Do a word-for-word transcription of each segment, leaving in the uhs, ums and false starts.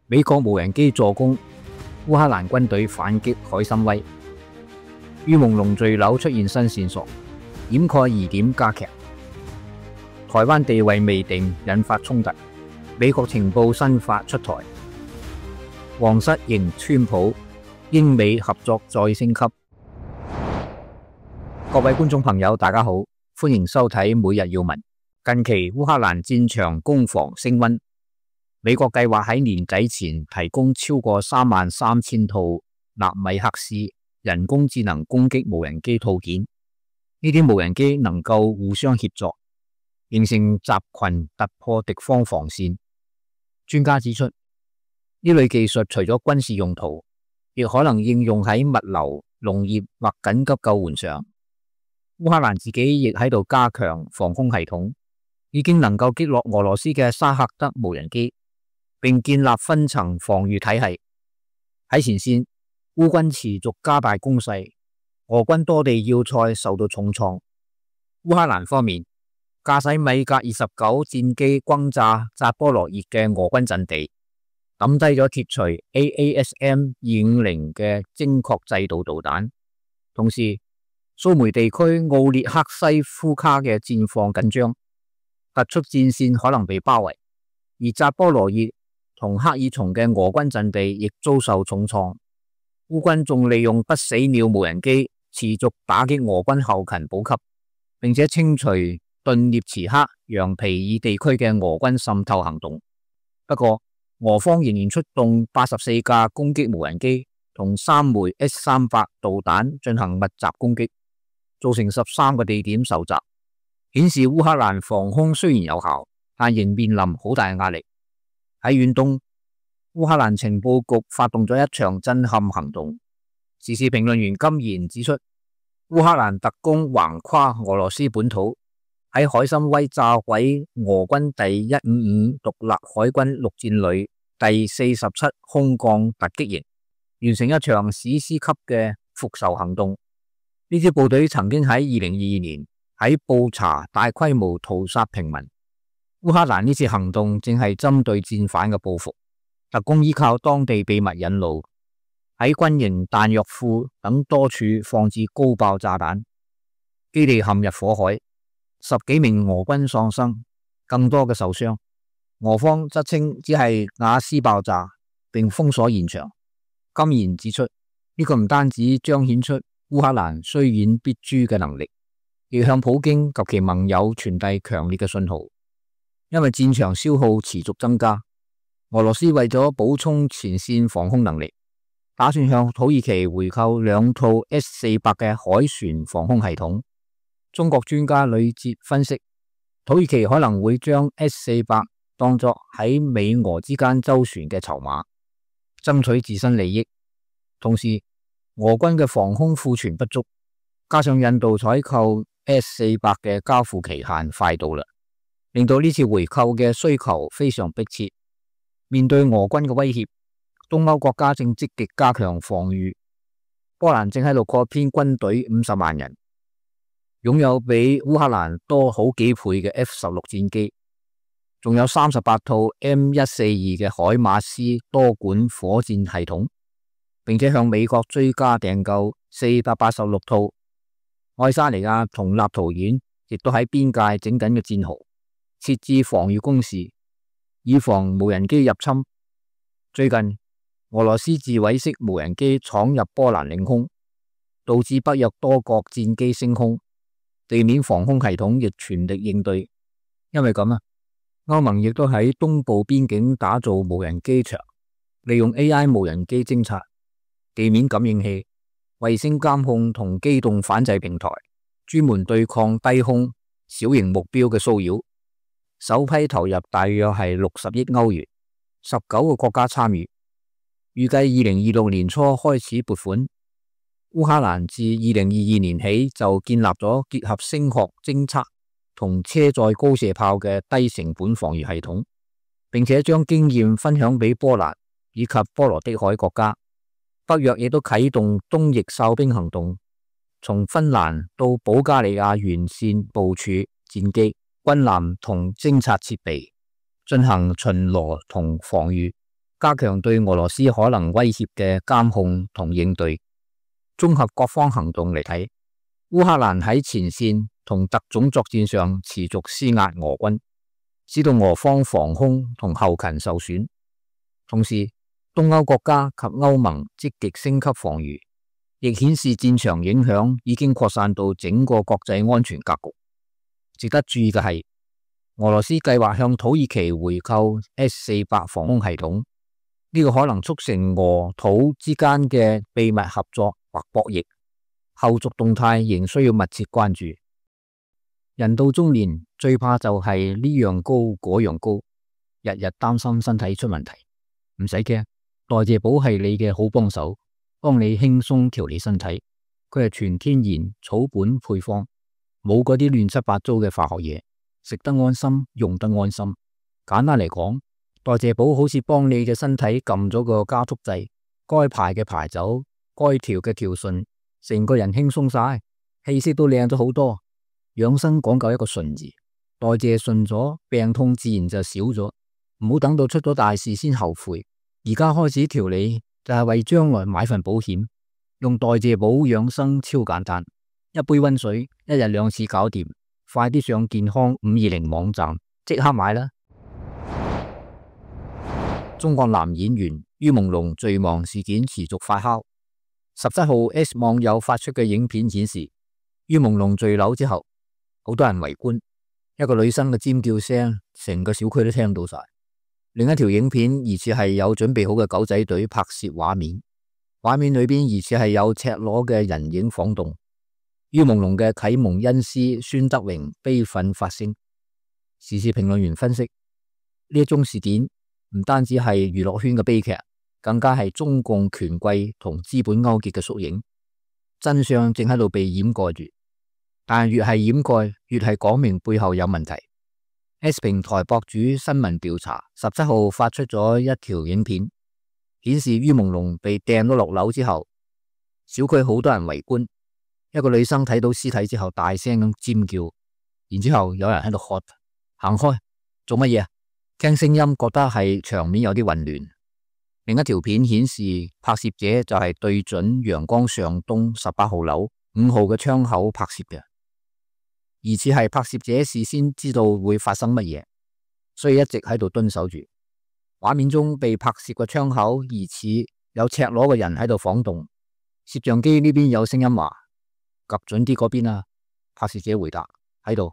美國無人機助攻烏克蘭軍隊反擊海參崴，於朦朧墜樓出現新線索，掩蓋疑點加劇。台灣地位未定，引發衝突。美國情報新法出台，皇室迎川普，英美合作再升級。各位觀眾朋友，大家好，歡迎收睇每日要聞。近期烏克蘭戰場攻防升溫。美國計劃喺年底前提供超過三萬三千套納米克斯人工智能攻擊無人機套件，呢啲無人機能夠互相協作，形成集群突破敵方防線。專家指出，呢類技術除咗軍事用途，亦可能應用喺物流、農業或緊急救援上。烏克蘭自己亦喺度加強防空系統，已經能夠擊落俄羅斯嘅沙赫德無人機，並建立分層防禦體系。喺前線，烏軍持續加大攻勢，俄軍多地要塞受到重創。烏克蘭方面，駕駛米格二十九戰機轟炸扎波羅熱嘅俄軍陣地，抌低咗鐵錘 A A S M 二五零嘅精確制導導彈。同時，蘇梅地區奧列克西夫卡嘅戰況緊張，突出戰線可能被包圍，而扎波羅熱同克爾松嘅俄軍陣地亦遭受重創。烏軍仲利用不死鳥無人機持續打擊俄軍後勤補給，並且清除頓涅茨克、楊皮爾地區嘅俄軍滲透行動。不過，俄方仍然出動八十四架攻擊無人機同三枚 S 三百導彈進行密集攻擊，造成十三個地點受襲，顯示烏克蘭防空雖然有效，但仍面臨好大嘅壓力。喺遠東，烏克蘭情報局發動咗一場震撼行動。時事評論員金賢指出，烏克蘭特工橫跨俄羅斯本土，喺海參崴炸毀俄軍第一五五獨立海軍陸戰旅第四十七空降突擊營，完成一場史詩級嘅復仇行動。呢支部隊曾經喺二零二二年喺布查大規模屠殺平民。烏克蘭呢次行動正係針對戰犯嘅報復。特工依靠當地秘密引路，喺軍營彈藥庫等多處放置高爆炸彈，基地陷入火海，十幾名俄軍喪生，更多嘅受傷。俄方則稱只係瓦斯爆炸，並封鎖現場。金賢指出，呢、這個唔單止彰顯出烏克蘭雖遠必誅嘅能力，亦向普京及其盟友傳遞強烈嘅信號。因為戰場消耗持續增加，俄羅斯為咗補充前線防空能力，打算向土耳其回購兩套 S 四百嘅海船防空系統。中國專家呂捷分析，土耳其可能會將 S 四百當作喺美俄之間周旋嘅籌碼，爭取自身利益。同時，俄軍嘅防空庫存不足，加上印度採購 S 四百嘅交付期限快到啦，令到呢次回購嘅需求非常迫切。面對俄軍嘅威脅，東歐國家正積極加強防禦。波蘭正喺度擴編軍隊五十萬人，擁有比烏克蘭多好幾倍嘅 F 十六戰機，仲有三十八套 M 一四二嘅海馬斯多管火箭系統，並且向美國追加訂購四百八十六套。愛沙尼亞同立陶宛亦都喺邊界整緊嘅戰壕，設置防禦工事，以防無人機入侵。最近，俄羅斯自毀式無人機闖入波蘭領空，導致北約多國戰機升空，地面防空系統亦全力應對。因為咁啊，歐盟亦都喺東部邊境打造無人機場，利用 A I 無人機偵察、地面感應器、衛星監控同機動反制平台，專門對抗低空小型目標嘅騷擾。首批投入大約係六十億歐元，十九個國家參與，預計二零二六年初開始撥款。烏克蘭自二零二二年起就建立咗結合聲學偵測同車載高射炮嘅低成本防禦系統，並且將經驗分享俾波蘭以及波羅的海國家。北約亦都啟動東翼哨兵行動，從芬蘭到保加利亞沿線部署戰機、軍艦同偵察設備，進行巡邏同防禦。加強對俄羅斯可能威脅嘅監控同應對。綜合各方行動嚟睇，烏克蘭喺前線同特種作戰上持續施壓俄軍，使到俄方防空同後勤受損。同時，東歐國家及歐盟積極升級防禦，亦顯示戰場影響已經擴散到整個國際安全格局。值得注意嘅係，俄羅斯計劃向土耳其回購 S 四百防空系統，呢個可能促成俄土之間嘅秘密合作或博弈，後續動態仍需要密切關注。人到中年最怕就係呢樣高嗰樣高，日日擔心身體出問題。唔使驚，代謝寶係你嘅好幫手，幫你輕鬆調理身體。佢係全天然草本配方，冇嗰啲亂七八糟嘅化學嘢，食得安心，用得安心。簡單嚟講，代謝寶好似幫你嘅身體撳咗個加速掣，該排嘅排走，該調嘅調順，成個人輕鬆晒，氣色都靚咗好多。養生講究一個順字，代謝順咗，病痛自然就少咗。唔好等到出咗大事先後悔，而家開始調理就係為將來買份保險。用代謝寶養生超簡單，一杯溫水，一日兩次搞掂。快啲上健康五二零網站即刻買啦！中國男演員于朦朧墜亡事件持續發酵。十七號 S 網友發出嘅影片顯示，于朦朧墜樓之後，好多人圍觀，一個女生嘅尖叫聲，成個小區都聽到晒。另一條影片疑似係有準備好嘅狗仔隊拍攝畫面，畫面裏邊疑似係有赤裸嘅人影晃動。于朦朧嘅啟蒙恩師孫德榮悲憤發聲。時事評論員分析，呢一宗事件唔單止係娛樂圈嘅悲劇，更加係中共權貴同資本勾結嘅縮影。真相正喺度被掩蓋住，但越係掩蓋，越係講明背後有問題。S 平台博主新聞調查十七號發出咗一條影片，顯示于朦朧被掟咗落樓之後，小區好多人圍觀。一個女生睇到屍體之後，大聲咁尖叫，然之後有人喺度喝：行開，做乜嘢啊？聽聲音覺得係場面有啲混亂。另一條片顯示，拍攝者就係對準陽光上東十八號樓五號嘅窗口拍攝嘅。疑似係拍攝者事先知道會發生乜嘢，所以一直喺度蹲守住。畫面中被拍攝嘅窗口疑似有赤裸嘅人喺度晃動。攝像機呢邊有聲音話：及準啲嗰邊啊！拍攝者回答：喺度。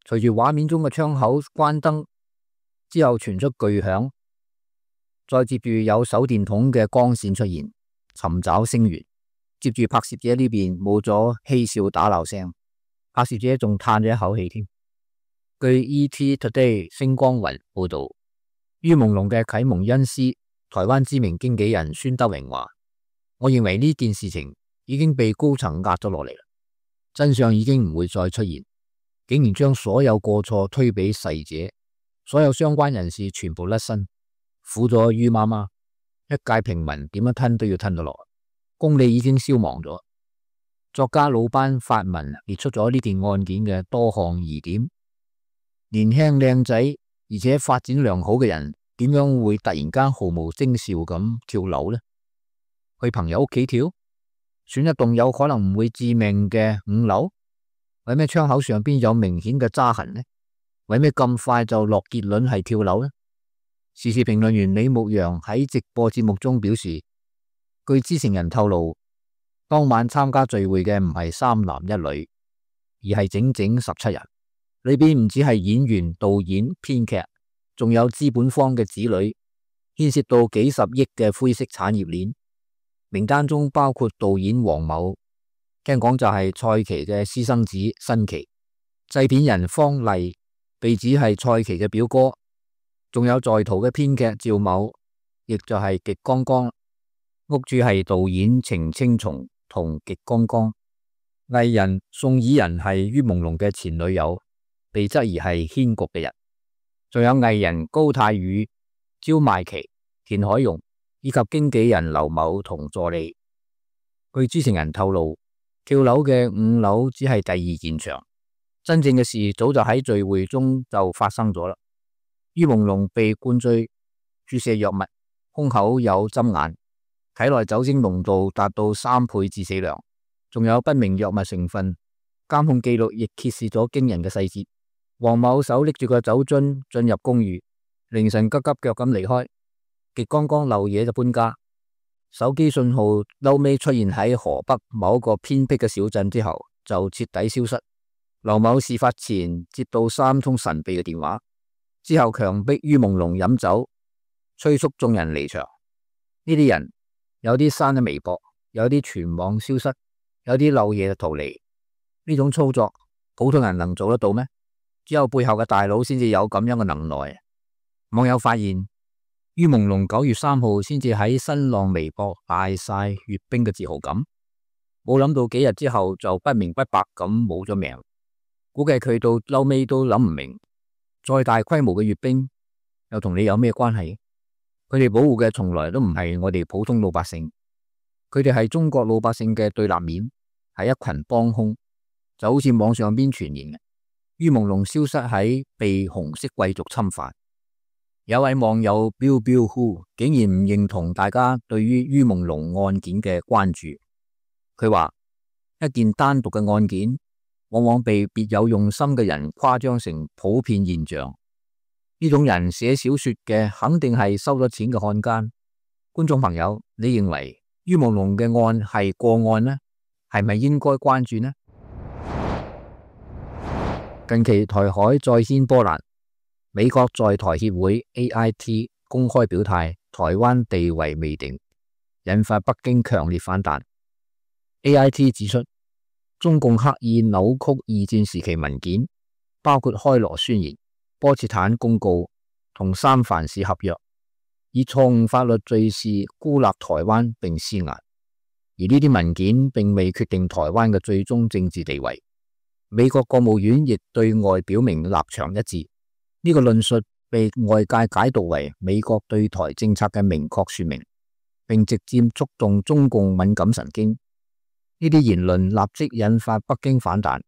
隨住畫面中嘅窗口關燈之後傳出巨響，再接住有手電筒嘅光線出現，尋找聲源。接住拍攝者呢邊冇咗嬉笑打鬧聲。拍攝者仲嘆咗一口氣添。據 E T Today 星光雲報道，于朦朧嘅啟蒙恩師台灣知名經紀人孫德榮話：我認為呢件事情已經被高層壓咗落嚟啦，真相已經唔會再出現，竟然將所有過錯推俾逝者，所有相關人士全部甩身，苦咗于媽媽，一介平民點樣吞都要吞到落，公理已經消亡咗。作家魯班發文列出咗呢件案件嘅多項疑點。年輕靚仔而且發展良好嘅人，點樣會突然間毫無徵兆咁跳樓呢？去朋友屋企跳，選一棟有可能唔會致命嘅五樓，為咩窗口上邊有明顯嘅渣痕呢？為咩咁快就落結論係跳樓呢？時事評論員李牧陽喺直播節目中表示，據知情人透露，當晚參加聚會嘅唔係三男一女，而係整整十七人，裏邊唔止係演員、導演、編劇，仲有資本方嘅子女，牽涉到幾十億嘅灰色產業鏈。名單中包括導演黃某，聽講就係蔡奇嘅私生子新奇，製片人方麗被指係蔡奇嘅表哥，仲有在逃嘅編劇趙某，亦就係極剛剛，屋主係導演程青松同極剛剛，藝人宋以仁係于朦朧嘅前女友，被質疑係牽局嘅人，仲有藝人高泰宇、焦邁琪、田海蓉以及經紀人劉某同助理。據知情人透露，跳樓嘅五樓只係第二現場，真正嘅事早就喺聚會中就發生咗啦。于朦朧被灌醉，注射藥物，胸口有針眼，體內酒精濃度達到三倍致死量，仲有不明藥物成分。監控記錄亦揭示咗驚人嘅細節。黃某手拎住個酒樽進入公寓，凌晨急急腳咁離開，極剛剛漏夜就搬家。手機信號嬲尾出現喺河北某一個偏僻嘅小鎮之後，就徹底消失。劉某事發前接到三通神秘嘅電話，之後強迫于朦朧飲酒，催促眾人離場。呢啲人有啲刪咗微博，有啲全網消失，有啲漏夜就逃離。呢種操作普通人能做得到咩？只有背後嘅大佬先至有咁樣嘅能耐。網友發現于朦朧九月三號先至喺新浪微博大晒閱兵嘅自豪感，冇諗到幾日之後就不明不白咁冇咗命。估計佢到嬲尾都諗唔明，再大規模嘅閱兵又同你有咩關係？佢哋保護嘅從來都唔係我哋普通老百姓，佢哋係中國老百姓嘅對立面，係一群幫兇。就好似網上邊傳言嘅于朦朧消失喺被紅色貴族侵犯。有位網友 Bill Bill Who 竟然唔認同大家對於于朦朧案件嘅關注，佢話一件單獨嘅案件往往被別有用心嘅人誇張成普遍現象。呢種人寫小說嘅肯定係收咗錢嘅漢奸。觀眾朋友，你認為于朦朧嘅案係個案呢？係咪應該關注呢？近期台海再掀波瀾，美國在台協會 A I T 公開表態，台灣地位未定，引發北京強烈反彈。A I T 指出，中共刻意扭曲二戰時期文件，包括開羅宣言、波茨坦公告同三藩市合約，以錯誤法律罪事孤立台灣並施壓。而呢啲文件並未決定台灣嘅最終政治地位。美國國務院亦對外表明立場一致，呢個論述被外界解讀為美國對台政策嘅明確說明，並直接觸動中共敏感神經。呢啲言論立即引發北京反彈。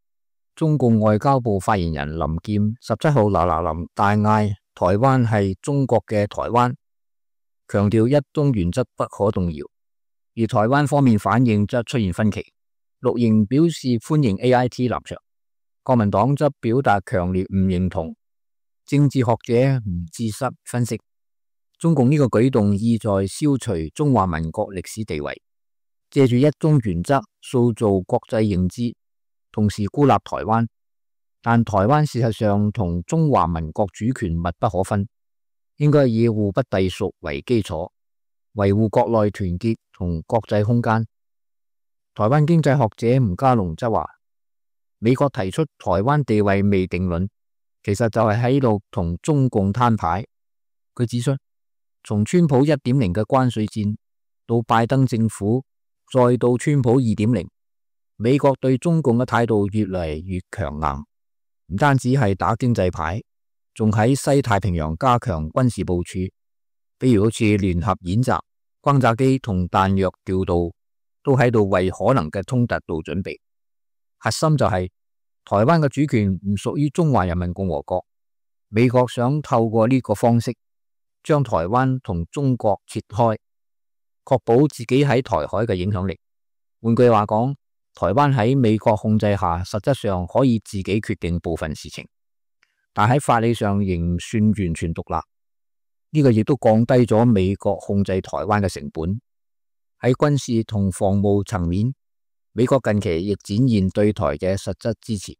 中共外交部發言人林劍十七號嗱嗱臨大嗌台灣係中國嘅台灣，強調一中原則不可動搖。而台灣方面反應則出現分歧，綠營表示歡迎 A I T 立場，國民黨則表達強烈唔認同。政治學者吳志濕分析，中共呢個舉動意在消除中華民國歷史地位，借住一中原則塑造國際認知，同時孤立台灣。但台灣事實上同中華民國主權密不可分，應該以互不隸屬為基礎，維護國內團結同國際空間。台灣經濟學者吳家龍則話，美國提出台灣地位未定論，其實就係喺度同中共攤牌。佢指出，從川普一點零嘅關稅戰到拜登政府，再到川普二點零，美國對中共嘅態度越嚟越強硬，唔單止係打經濟牌，仲喺西太平洋加強軍事部署，比如好似聯合演習、轟炸機同彈藥調度，都喺度為可能嘅衝突做準備。核心就係、是、台灣嘅主權唔屬於中華人民共和國，美國想透過呢個方式將台灣同中國切開，確保自己喺台海嘅影響力。換句話講，台灣喺美國控制下，實質上可以自己決定部分事情，但喺法理上仍唔算完全獨立。呢、這個亦都降低咗美國控制台灣嘅成本。喺軍事同防務層面，美國近期亦展現對台嘅實質支持。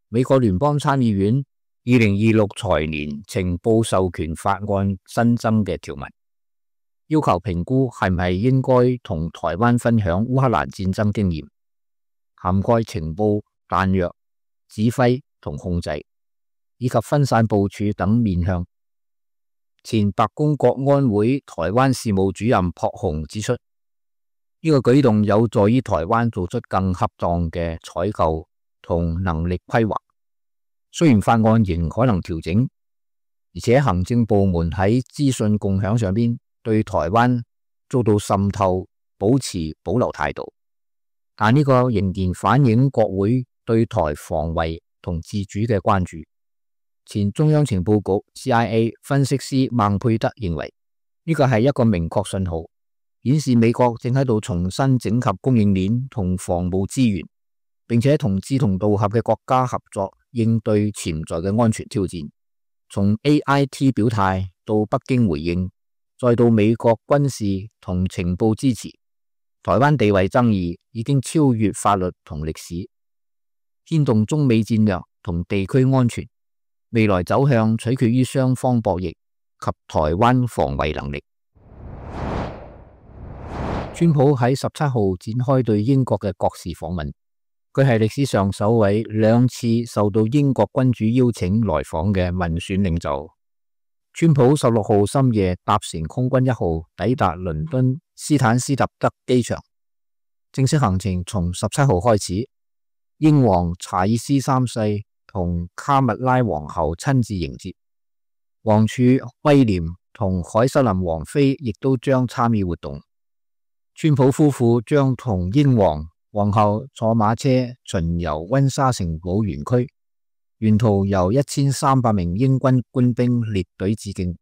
美國聯邦參議院二零二六財年情報授權法案新增嘅條文，要求評估係唔係應該同台灣分享烏克蘭戰爭經驗，涵蓋情報、彈藥、指揮同控制，以及分散部署等面向。前白宮國安會台灣事務主任朴鴻指出，呢、這個舉動有助於台灣做出更恰當嘅採購同能力規劃。雖然法案仍可能調整，而且行政部門喺資訊共享上邊對台灣遭到滲透保持保留態度，但呢個仍然反映國會對台防衛同自主嘅關注。前中央情報局 C I A 分析師孟佩德認為，呢個係一個明確信號，顯示美國正喺度重新整合供應鏈同防務資源，並且同志同道合嘅國家合作應對潛在嘅安全挑戰。從 A I T 表態到北京回應，再到美國軍事同情報支持，台灣地位爭議已經超越法律同歷史，牽動中美戰略同地區安全。未來走向取決於雙方博弈及台灣防衛能力。川普喺十七號展開對英國嘅國事訪問，佢係歷史上首位兩次受到英國君主邀請來訪嘅民選領袖。川普十六號深夜搭乘空軍一號抵達倫敦斯坦斯特德機場，正式行程從十七號開始。英皇查爾斯三世同卡蜜拉皇后親自迎接，王儲威廉同凱瑟琳王妃亦都將參與活動。川普夫婦將同英皇皇后坐馬車巡遊溫莎城堡園區，沿途由一千三百名英軍官兵列隊致敬，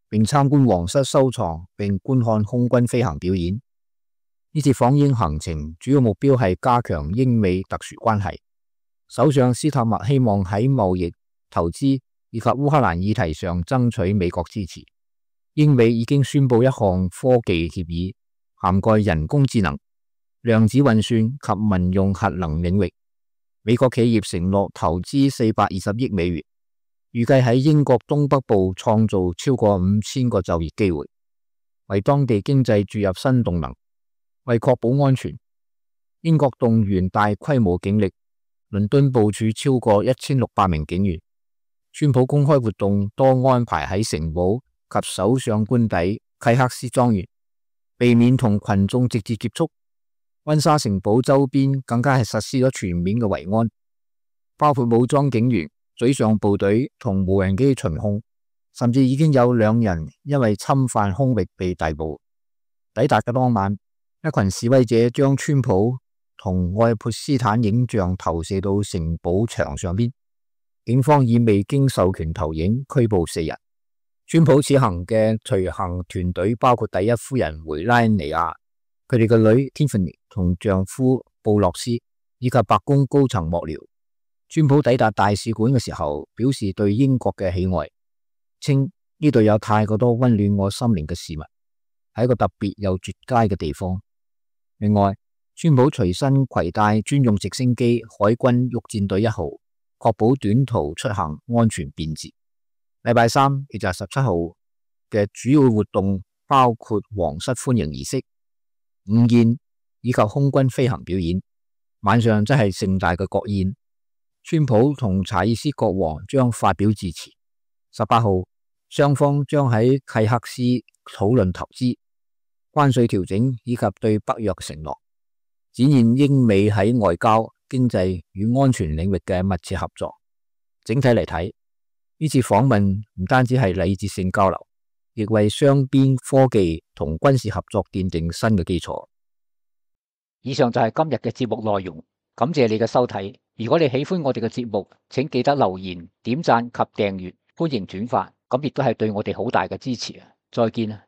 並參觀皇室收藏並觀看空軍飛行表演。呢次訪英行程主要目標係加強英美特殊關係。首相斯塔默希望喺貿易、投資以及烏克蘭議題上爭取美國支持。英美已經宣布一項科技協議，涵蓋人工智能、量子運算及民用核能領域。美國企業承諾投資四百二十億美元，預計喺英國東北部創造超過五千個就業機會，為當地經濟注入新動能。為確保安全，英國動員大規模警力。倫敦部署超過一千六百名警員。川普公開活動多安排喺城堡及首相官邸契克斯莊園，避免同群眾直接接觸。溫莎城堡周邊更加係實施咗全面嘅維安，包括武裝警員、水上部隊同無人機巡控，甚至已經有兩人因為侵犯空域被逮捕。抵達嘅當晚，一群示威者將川普同愛潑斯坦影像投射到城堡牆上邊，警方以未經授權投影拘捕四人。川普此行嘅隨行團隊包括第一夫人梅拉尼亞、佢哋嘅女 Tiffany 同丈夫布洛斯，以及白宮高層幕僚。川普抵達大使館嘅時候，表示對英國嘅喜愛，稱呢度有太過多溫暖我心靈嘅事物，係一個特別又絕佳嘅地方。另外，川普隨身攜帶專用直升機海軍陸戰隊一號，確保短途出行安全便捷。禮拜三，亦就係十七號嘅主要活動包括皇室歡迎儀式、午宴以及空軍飛行表演。晚上則係盛大嘅國宴，川普同查爾斯國王將發表致辭。十八號，雙方將喺契克斯討論投資、關稅調整以及對北約承諾，展現英美喺外交、經濟與安全領域嘅密切合作。整體嚟睇，呢次訪問唔單止係禮節性交流，亦為雙邊科技同軍事合作奠定新嘅基礎。以上就係今日嘅節目內容，感謝你嘅收睇。如果你喜歡我哋嘅節目，請記得留言、點讚及訂閱，歡迎轉發，咁亦都係對我哋好大嘅支持啊！再見啊！